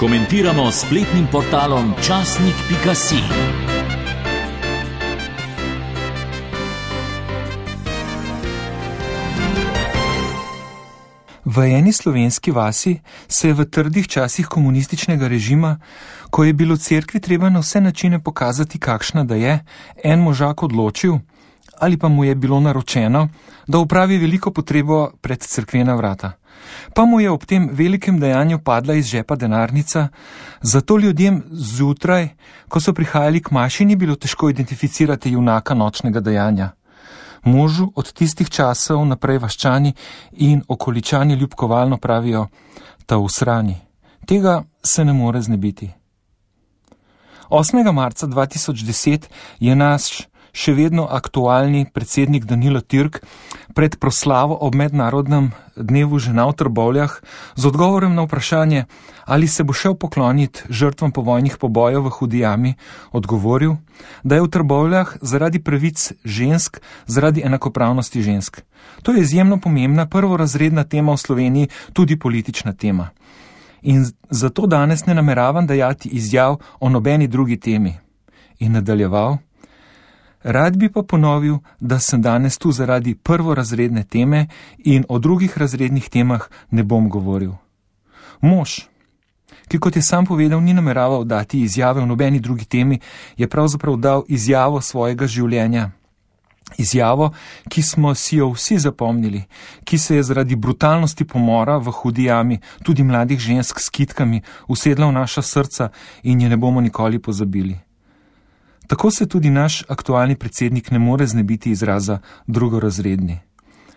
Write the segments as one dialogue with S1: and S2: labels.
S1: Komentiramo s spletnim portalom časnik.si.
S2: V eni slovenski vasi se je v trdih časih komunističnega režima, ko je bilo cerkvi treba na vse načine pokazati, kakšna da je, en možak odločil, ali pa mu je bilo naročeno, da opravi veliko potrebo pred cerkvena vrata. Pa mu je ob tem velikem dejanju padla iz žepa denarnica, zato ljudem zjutraj, ko so prihajali k maši, ni bilo težko identificirati junaka nočnega dejanja. Možu od tistih časov naprej vaščani in okoličani ljubkovalno pravijo, ta usrani. Tega se ne more znebiti. 8. marca 2010 je naš še vedno aktualni predsednik Danilo Türk pred proslavo ob mednarodnem dnevu žena v Trbovljah z odgovorem na vprašanje, ali se bo šel pokloniti žrtvam povojnih pobojev v Hudi jami, odgovoril, da je v Trbovljah zaradi pravic žensk, zaradi enakopravnosti žensk. To je izjemno pomembna, prvorazredna tema v Sloveniji, tudi politična tema. In zato danes ne nameravam dajati izjav o nobeni drugi temi. In nadaljeval, rad bi pa ponovil, da sem danes tu zaradi prvorazredne teme in o drugih razrednih temah ne bom govoril. Mož, ki kot je sam povedal, ni nameraval dati izjave o nobeni drugi temi, je pravzaprav dal izjavo svojega življenja. Izjavo, ki smo si jo vsi zapomnili, ki se je zaradi brutalnosti pomora v Hudi jami, tudi mladih žensk s kitkami, usedla v naša srca in je ne bomo nikoli pozabili. Tako se tudi naš aktualni predsednik ne more znebiti izraza drugorazredni.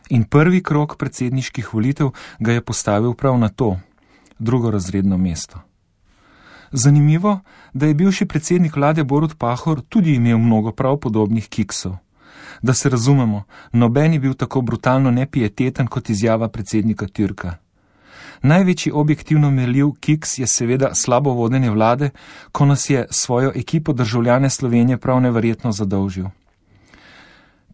S2: In prvi krog predsedniških volitev ga je postavil prav na to, drugorazredno mesto. Zanimivo, da je bivši predsednik vlade Borut Pahor tudi imel mnogo prav podobnih kiksov. Da se razumemo, noben je bil tako brutalno nepieteten kot izjava predsednika Türka. Največji objektivno merljiv kiks je seveda slabo vodenje vlade, ko nas je svojo ekipo državljane Slovenije prav neverjetno zadolžil.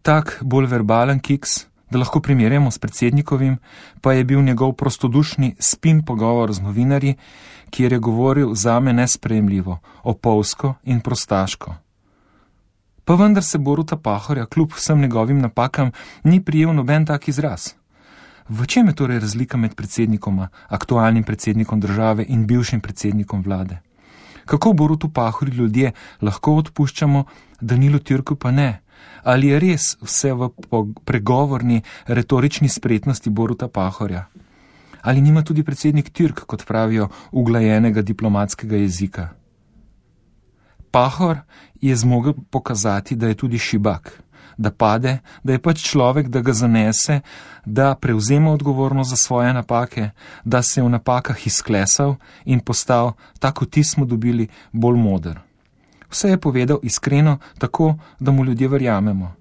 S2: Tak bolj verbalen kiks, da lahko primerjamo s predsednikovim, pa je bil njegov prostodušni spin pogovor z novinarji, kjer je govoril zame nesprejemljivo, opolsko in prostaško. Pa vendar se Boruta Pahorja kljub vsem njegovim napakam ni prijel noben tak izraz. V čem je torej razlika med predsednikoma, aktualnim predsednikom države in bivšim predsednikom vlade? Kako Borutu Pahorju ljudje lahko odpuščamo, Danilu Türku pa ne? Ali je res vse v pregovorni, retorični spretnosti Boruta Pahorja? Ali nima tudi predsednik Türk, kot pravijo, uglajenega diplomatskega jezika? Pahor je zmogel pokazati, da je tudi šibak, da pade, da je pač človek, da ga zanese, da prevzema odgovornost za svoje napake, da se je v napakah izklesal in postal, tako ti smo dobili, bolj moder. Vse je povedal iskreno, tako, da mu ljudje verjamemo.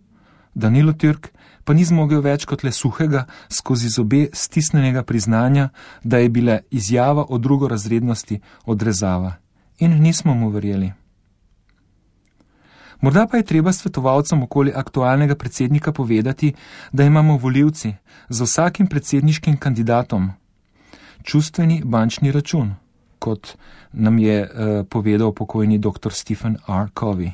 S2: Danilo Türk pa ni zmogel več kot le suhega, skozi zobe stisnenega priznanja, da je bila izjava o drugorazrednosti odrezava. In nismo mu verjeli. Morda pa je treba svetovalcem okoli aktualnega predsednika povedati, da imamo volivci za vsakim predsedniškim kandidatom čustveni bančni račun, kot nam je povedal pokojni dr. Stephen R. Covey,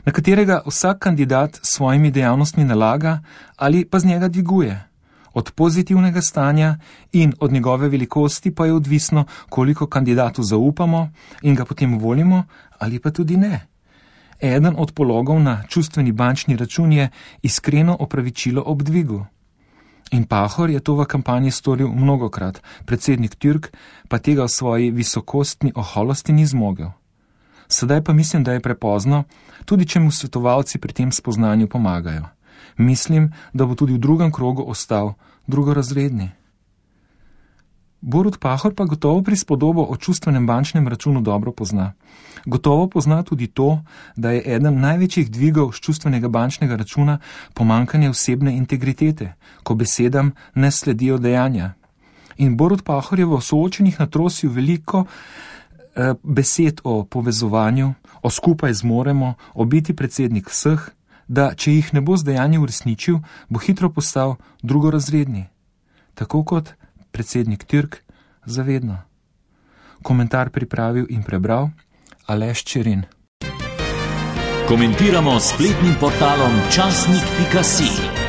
S2: na katerega vsak kandidat s svojimi dejavnostmi nalaga ali pa z njega dviguje. Od pozitivnega stanja in od njegove velikosti pa je odvisno, koliko kandidatu zaupamo in ga potem volimo ali pa tudi ne. Eden od pologov na čustveni bančni račun je iskreno opravičilo ob dvigu. In Pahor je to v kampanji storil mnogokrat, predsednik Türk pa tega v svoji visokostni oholosti ni zmogel. Sedaj pa mislim, da je prepozno, tudi če mu svetovalci pri tem spoznanju pomagajo. Mislim, da bo tudi v drugem krogu ostal drugorazredni. Borut Pahor pa gotovo prispodobo o čustvenem bančnem računu dobro pozna. Gotovo pozna tudi to, da je eden največjih dvigov z čustvenega bančnega računa pomanjkanje osebne integritete, ko besedam ne sledijo dejanja. In Borut Pahor je v soočenih natrosil veliko besed o povezovanju, o skupaj zmoremo, o biti predsednik vseh, da če jih ne bo z dejanji uresničil, bo hitro postal drugorazredni. Tako kot predsednik Türk zavedno. Komentar pripravil in prebral Aleš Čerin.
S1: Komentiramo s spletnim portalom časnik.si.